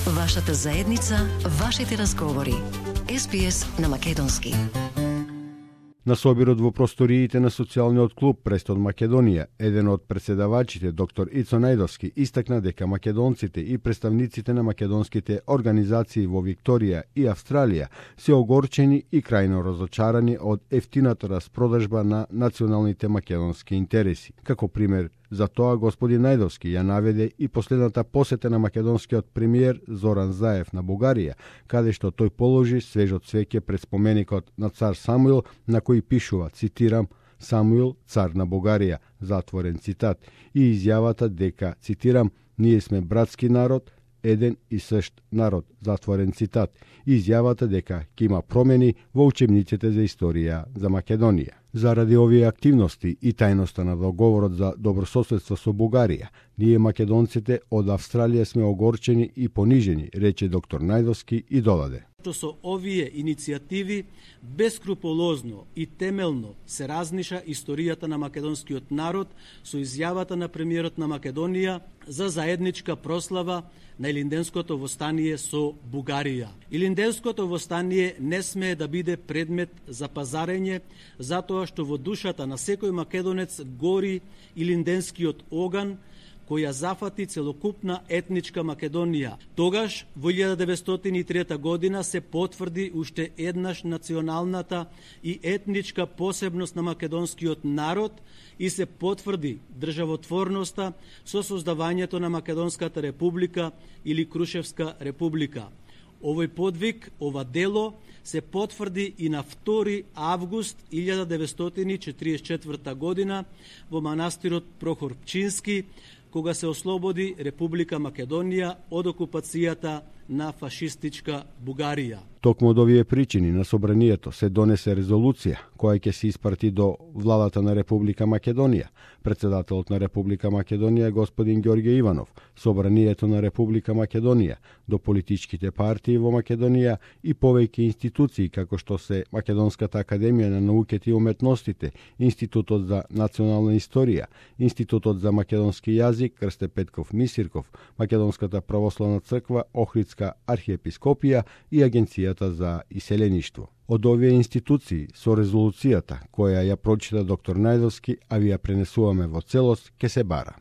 Вашата заедница, вашите разговори. SPS на македонски. На собирот во просториите на социјалниот клуб Престон Македонија, еден од председавачите, доктор Ицо Најдовски, истакна дека македонците и представниците на македонските организации во Викторија и Австралија се огорчени и крајно разочарани од ефтината распродажба на националните македонски интереси. Како пример за тоа, господин Најдовски ја наведе и последната посета на македонскиот премиер Зоран Заев на Бугарија, каде што тој положи свежо цвеќе пред споменикот на цар Самуил, на кој пишува, цитирам, Самуил, цар на Бугарија, затворен цитат, и изјавата дека, цитирам, ние сме братски народ, еден и сшт народ, затворен цитат, и изјавата дека ќе има промени во учебниците за историја за Македонија. Заради овие активности и тајноста на договорот за добрососедство со Бугарија, ние македонците од Австралија сме огорчени и понижени, рече доктор Најдовски и додаде. Со овие иницијативи бескрупулозно и темелно се разниша историјата на македонскиот народ со изјавата на премиерот на Македонија за заедничка прослава на Илинденското востание со Бугарија. Илинденското востание не смее да биде предмет за пазарење, затоа што во душата на секој македонец гори илинденскиот оган, која зафати целокупна етничка Македонија. Тогаш, во 1903 година, се потврди уште еднаш националната и етничка посебност на македонскиот народ и се потврди државотворноста со создавањето на Македонската република или Крушевска република. Овој подвиг, ова дело, се потврди и на 2 август 1944 година во манастирот Прохор Пчински, кога се ослободи Република Македонија од окупацијата на фашистичка Бугарија. Токму од овие причини на собранието се донесе резолуција која ќе се испрати до владата на Република Македонија. Председателот на Република Македонија господин Ѓорѓе Иванов, собранието на Република Македонија, до политичките партии во Македонија и повеќе институции како што се Македонската академија на науките и уметностите, Институтот за национална историја, Институтот за македонски јазик Крсте Петков Мисирков, Македонската православна црква Охридска архиепископија и Агенцијата за иселеништво. Од овие институции, со резолуцијата која ја прочита доктор Најдовски, а ви ја пренесуваме во целост, ке се бара.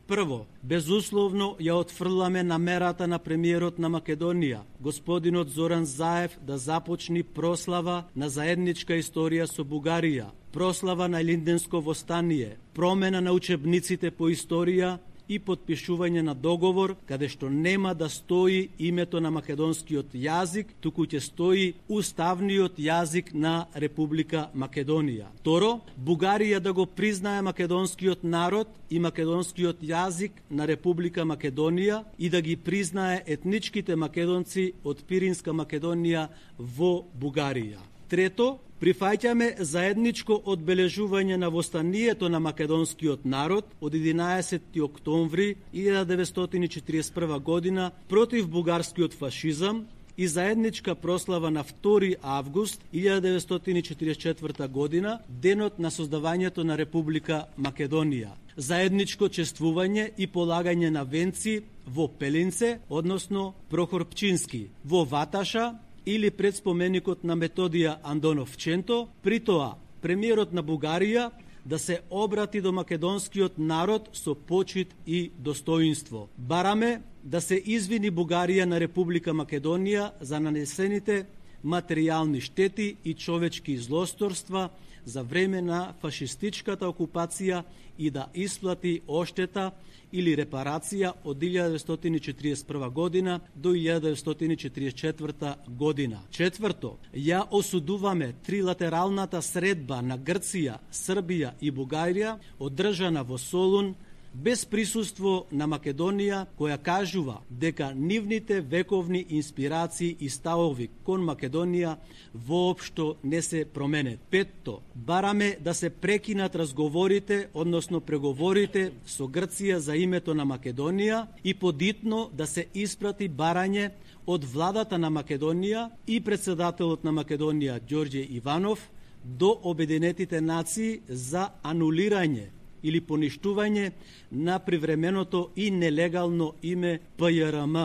Прво, безусловно ја отфрламе намерата на премиерот на Македонија, господинот Зоран Заев, да започни прослава на заедничка историја со Бугарија, прослава на Илинденско востание, промена на учебниците по историја и подпишување на договор каде што нема да стои името на македонскиот јазик, туку ќе стои уставниот јазик на Република Македонија. Второ, Бугарија да го признае македонскиот народ и македонскиот јазик на Република Македонија и да ги признае етничките македонци од Пиринска Македонија во Бугарија. Трето, прифаќаме заедничко одбележување на востанието на македонскиот народ од 11. октомври 1941 година против бугарскиот фашизам и заедничка прослава на 2 август 1944 година, денот на создавањето на Република Македонија. Заедничко чествување и полагање на венци во Пелинце, односно Прохор Пчински, во Ваташа, или пред споменикот на Методија Андоновченто, при тоа премиерот на Бугарија да се обрати до македонскиот народ со почит и достоинство. Бараме да се извини Бугарија на Република Македонија за нанесените материјални штети и човечки злосторства за време на фашистичката окупација и да исплати оштета или репарација од 1941 година до 1944 година. Четврто, ја осудуваме трилатералната средба на Грција, Србија и Бугарија, одржана во Солун, без присуство на Македонија, која кажува дека нивните вековни инспирации и ставови кон Македонија воопшто не се променет. Петто, бараме да се прекинат разговорите, односно преговорите со Грција за името на Македонија и подитно да се испрати барање од владата на Македонија и председателот на Македонија Ѓорѓе Иванов до Обединетите нации за анулирање или поништување на привременото и нелегално име ПЈРМ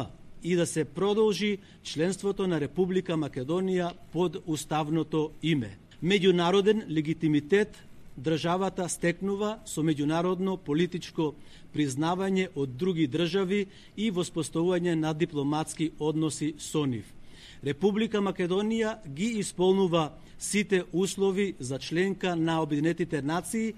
и да се продолжи членството на Република Македонија под уставното име. Меѓународен легитимитет државата стекнува со меѓународно политичко признавање од други држави и воспоставување на дипломатски односи со нив. Република Македонија ги исполнува сите услови за членка на Обединетите нации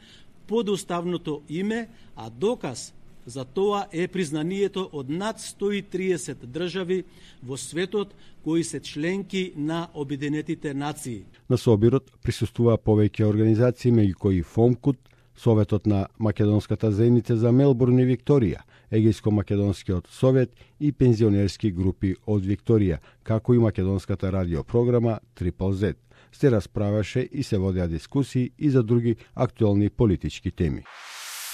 под уставното име, а доказ за тоа е признанието од над 130 држави во светот кои се членки на Обединетите нации. На собирот присуствуваа повеќе организации, меѓу кои ФОМКУТ, Советот на Македонската заедница за Мелбурн и Викторија, Егејско-македонскиот совет и пензионерски групи од Викторија, како и македонската радиопрограма Triple Z. Се расправаше и се водеа дискусии и за други актуелни политички теми.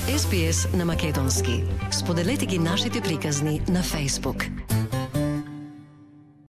SBS на македонски. Споделете ги нашите приказни на Facebook.